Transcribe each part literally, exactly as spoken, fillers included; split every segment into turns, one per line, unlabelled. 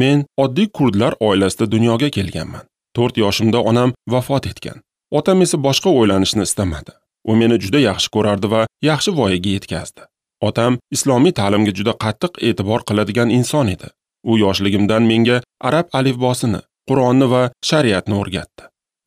Men oddiy kurdlar oilasida dunyoga kelganman. to'rt yoshimda onam vafot etgan. Otam esa boshqa o'ylanishni istamadi. U meni juda yaxshi ko'rardi va yaxshi voyaga yetkazdi. Otam islomiy ta'limga juda qattiq e'tibor qiladigan inson edi. U yoshligimdan menga arab alifbosini, Qur'onni va shariatni o'rgatdi.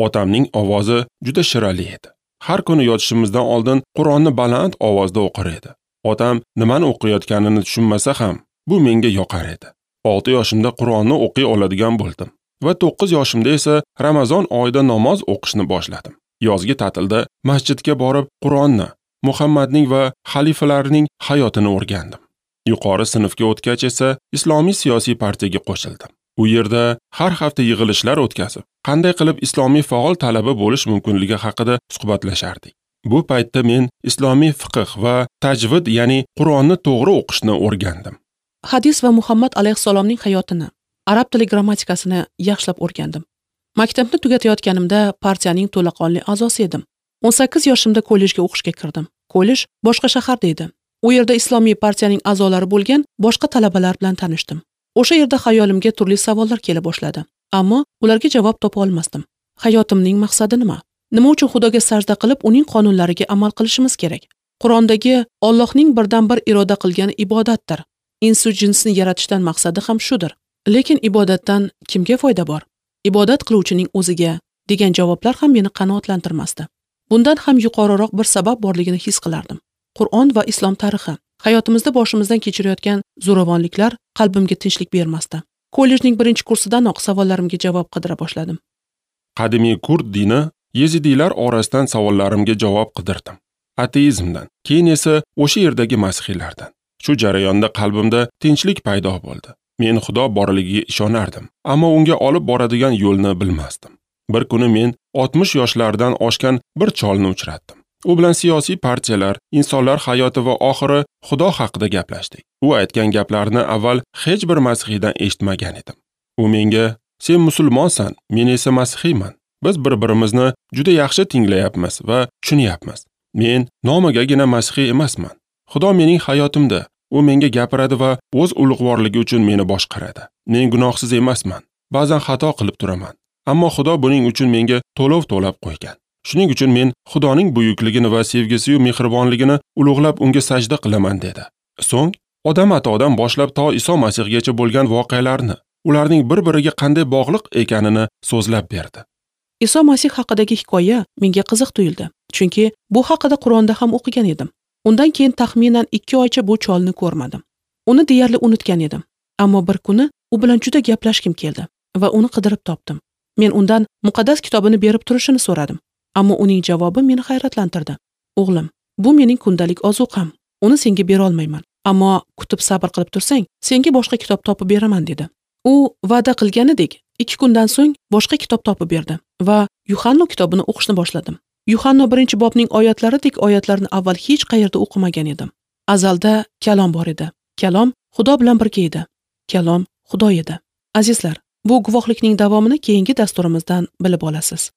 Otamning ovozi juda shirali edi. Har kuni yotishimizdan oldin Qur'onni baland ovozda o'qir edi. Otam nimani o'qiyotganini tushunmasa ham, bu menga yoqar edi. olti yoshimda Qur'onni o'qiy oladigan bo'ldim va to'qqiz yoshimda esa Ramazon oyida namoz o'qishni boshladim. Yozgi ta'tilda masjidga borib Qur'onni, Muhammadning va xalifalarning hayotini o'rgandim. Yuqori sinfga o'tgach esa islomiy siyosiy partiyaga qo'shildim. U yerda har hafta yig'ilishlar o'tkazib, qanday qilib islomiy faol talaba bo'lish mumkinligi haqida suhbatlashardik. Bu paytda men islomiy fiqh va tajvid, ya'ni Qur'onni to'g'ri o'qishni o'rgandim.
Hadis va Muhammad alayhissalomning hayotini, arab tili grammatikasini yaxshilab o'rgandim. Maktabni tugatayotganimda partiyaning to'laqonli a'zosi edim. o'n sakkiz yoshimda kollejga o'qishga kirdim. Kollej boshqa shaharda edi. U yerda islomiy partiyaning a'zolari bo'lgan boshqa talabalar bilan tanishdim. O'sha yerda xayolimga turli savollar kela boshladi, ammo ularga javob topa olmasdim. Hayotimning maqsadi nima? Nima uchun Xudoga sajda qilib, uning qonunlariga amal qilishimiz kerak? Qur'ondagi Allohning birdan bir iroda qilgan ibodatdir. Insu jinsni yaratishdan maqsadi ham shudir. Lekin ibodatdan kimga foyda bor? Ibodat qiluvchining o'ziga degan javoblar ham meni qanoatlantirmasdi. Bundan ham yuqoriroq bir sabab borligini his qilardim. Qur'on va islom tarixi hayotimizda boshimizdan kechirayotgan zo'ravonliklar qalbimga tinchlik bermasdi. Kollejning birinchi kursidanoq savollarimga javob qidira boshladim.
Qadimiy kurd dini yezidiylar orasidan savollarimga javob qidirdim. Ateizmdan, keyin esa o'sha yerdagi masihiylardan. Shu jarayonda qalbimda tinchlik paydo bo'ldi. Men Xudo borligiga ishonardim, ammo unga olib boradigan yo'lni bilmasdim. Bir kuni men oltmish yoshlardan oshgan bir cholni uchratdim. U bilan siyosiy partiyalar, insonlar hayoti va oxiri Xudo haqida gaplashdik. U aytgan gaplarni avval hech bir masihiydan eshitmagan edim. U menga: "Sen musulmonsan, men esa masihiyman. Biz bir-birimizni juda yaxshi tinglayapmiz va tushunyapmiz. Men nomigagina masihiy emasman. Xudo mening hayotimda, u menga gapiradi va o'z ulug'vorligi uchun meni boshqaradi. Men gunohsiz emasman. Ba'zan xato qilib turaman. Ammo Xudo buning uchun menga to'lov to'lab qo'ygan. Shuning uchun men Xudoning buyukligini va sevgisi-yu mehribonligini ulug'lab unga sajda qilaman" dedi. So'ng Odam atodan boshlab to Iso Masihgacha bo'lgan voqealarni, ularning bir-biriga qanday bog'liq ekanini so'zlab berdi.
Iso Masih haqidagi hikoya menga qiziq tuyuldi, chunki bu haqida Qur'onda ham o'qigan edim. Undan keyin taxminan ikki oycha bu cholni ko'rmadim. Uni deyarli unutgan edim. Ammo bir kuni u bilan juda gaplashgim keldi va uni qidirib topdim. Men undan muqaddas kitobini berib turishini so'radim. Ammo uning javobi meni hayratlantirdi. "O'g'lim, bu mening kundalik ozuqam. Uni senga bera olmayman. Ammo kutib sabr qilib tursang, senga boshqa kitob topib beraman" dedi. U va'da qilganidek, ikki kundan so'ng boshqa kitob topib berdi va Yuhanno kitobini o'qishni boshladim. Yuhanno birinchi bobning oyatlaridek oyatlarni avval hech qayerda o'qimagan edim. Azalda kalom bor edi. Kalom Xudo bilan birga edi. Kalom Xudo edi. Azizlar, bu guvohlikning davomini keyingi dasturimizdan bilib olasiz.